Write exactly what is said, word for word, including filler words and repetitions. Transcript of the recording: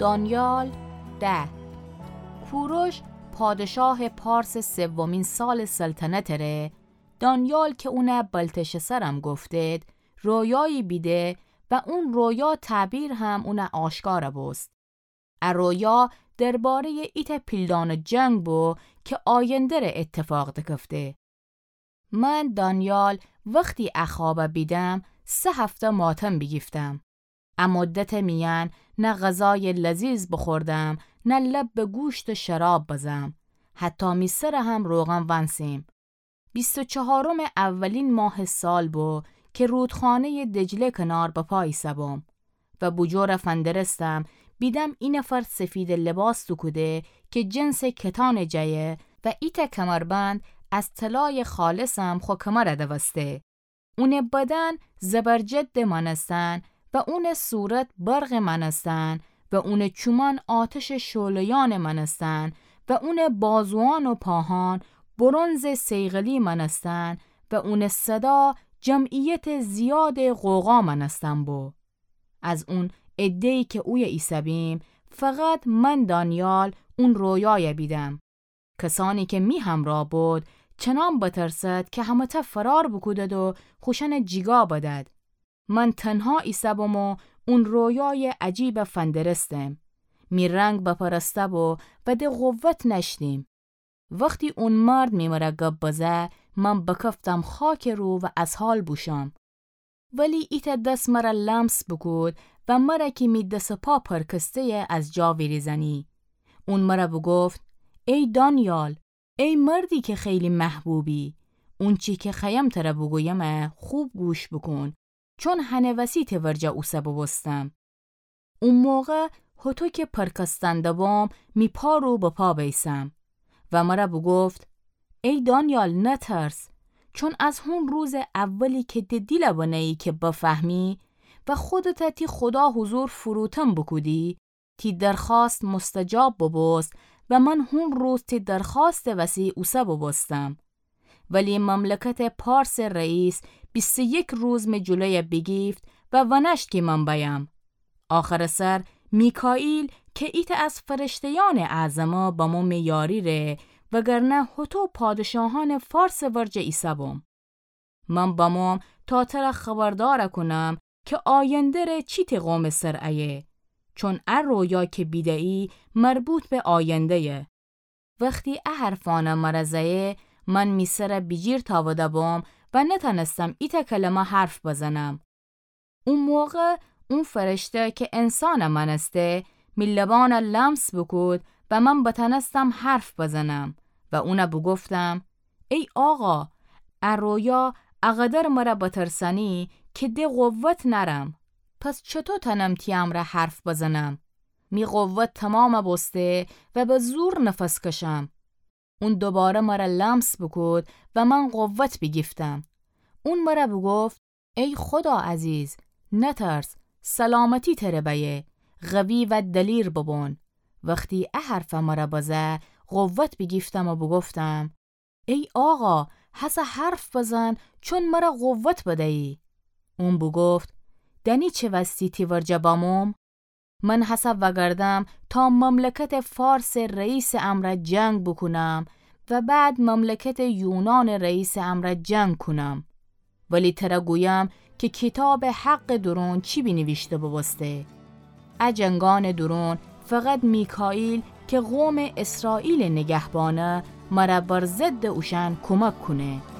دانیال ده. کوروش پادشاه پارس سومین سال سلطنت ره، دانیال که اونه بلتشسرم گفتید، رویایی بیده و اون رویا تعبیر هم اونه آشکار بوست. ا رویا درباره‌ی ایتأ پیلدان جنگ بو که آینده ره اتفاق دکفته. من دانیال وختی ا خوابه بیدم، سه هفته ماتم بیگیفتم. ا مدت میأن نه غذای لذیذ بخوردم، نه لب به گوشت و شراب بزم. حتی می سره هم روغن ونسیم. بیست و چهارم اولین ماه سال بو که رودخانه‌ی دجله کنار به پا ایسه بوم. و بوجور فندرستم، بیدم اینفر سفید لباس دوکوده که جنس کتان جیه و ایتأ کمربند از طلای خالصم خو کمر دوسته. اونه بدن زبرجد مانستن و اونه صورت برق مانستن و اونه چومان آتش شعله‌یان مانستن و اونه بازوان و پاهان برنز صیقلی مانستن و اونه صدا جمعیت زیاد غوغا مانستن بو. از اون عده‌ای که اویه ایسه بیم، فقط من دانیال اون رویایه بیدم. کسانی که می همرا بود، چنان بترسد که همه‌تأ فرار بوکودد و خوشأنه جیگا بدد. من تنها ایسه بوم و اون رویای عجیبه فندرستم. می رنگ بپرسته بو و ده قوت نأشتیم. وختی اون مرد می مره گب بزه، من بکفتم خاک رو و از حال بوشم. ولی ایتأ دس مره لمس بوکود و مره کی می دس و پا پرکسته‌یه از جا ویریزأنی. اون مره بوگفت: ای دانیال، ای مردی که خیلی محبوبی، اونچی که خوأیم تره بوگویمه خوب گوش بوکون، چون هنٚ وسی تی ورجه اوسه بوبوستم. او موقع هوطو که پرکستنده بوم، می پا رو به پا بیسم. و مره بوگفت: ای دانیال، نترس، چون از هون روزٚ اولی که ده دیل بنهیی که بفهمی و خودته تی خودا حضور فروتن بوکودی، تی درخواست مستجاب بوبوست و من هون روز تی درخواستٚ وسی اوسه بوبوستم. ولی مملکتٚ پارسٚ رئیس بیست و یک روز می جلویه بیگیفت و ونأشت کی من بأیم. آخرٚ سر میکائیل که ایتأ از فرشته‌یأنٚ اعظمه بمو می یاری ره، وگرنه هوطو پادشاهأنٚ فارسٚ ورجه ایسه بوم. من بموم تا تره خبردار کونم که آینده ره چی تی قومٚ سر ایه، چون ا رویا که بیده‌یی مربوط به آینده‌یه. وختی ا حرفأنه مره زه‌یه، من می سره بیجیر تأوده بوم و نتأنستم ایتأ کلمه حرف بزنم. او موقع اون فرشته که انسانه مأنسته، می لبأنه لمس بوکود و من بتأنستم حرف بزنم و اونه بوگفتم: ای آقا، ا رویا اقدر مره بترسأنی که ده قوت نأرم. پس چطو تأنم تی امرأ حرف بزنم؟ می قوت تمام بوسته و به زور نفس کشم. اون دوباره مره لمس بوکود و من قوت بیگیفتم. اون مره بوگفت: ای خودا عزیز، نترس، سلامتی تره بأیه، قوی و دلیر ببون. وختی ا حرفه مره بزه، قوت بیگیفتم و بوگفتم: ای آقا، هسه حرف بزن، چون مره قوت بده‌یی. اون بوگفت: دأنی چه وستی تی ورجه بموم؟ من هسه وأگردم تا مملکتٚ فارسٚ رئیسٚ امرأ جنگ بوکونم و بعد مملکتٚ یونانٚ رئیسٚ امرأ جنگ کونم. ولی تره گویم که کیتابٚ حقٚ دورون چی بینیویشته بوبوسته. ا جنگأنٚ دورون فقط میکائیل که قومٚ اسرائیلٚ نگهبانه، مره بر ضدٚ اوشأن کومک کونه.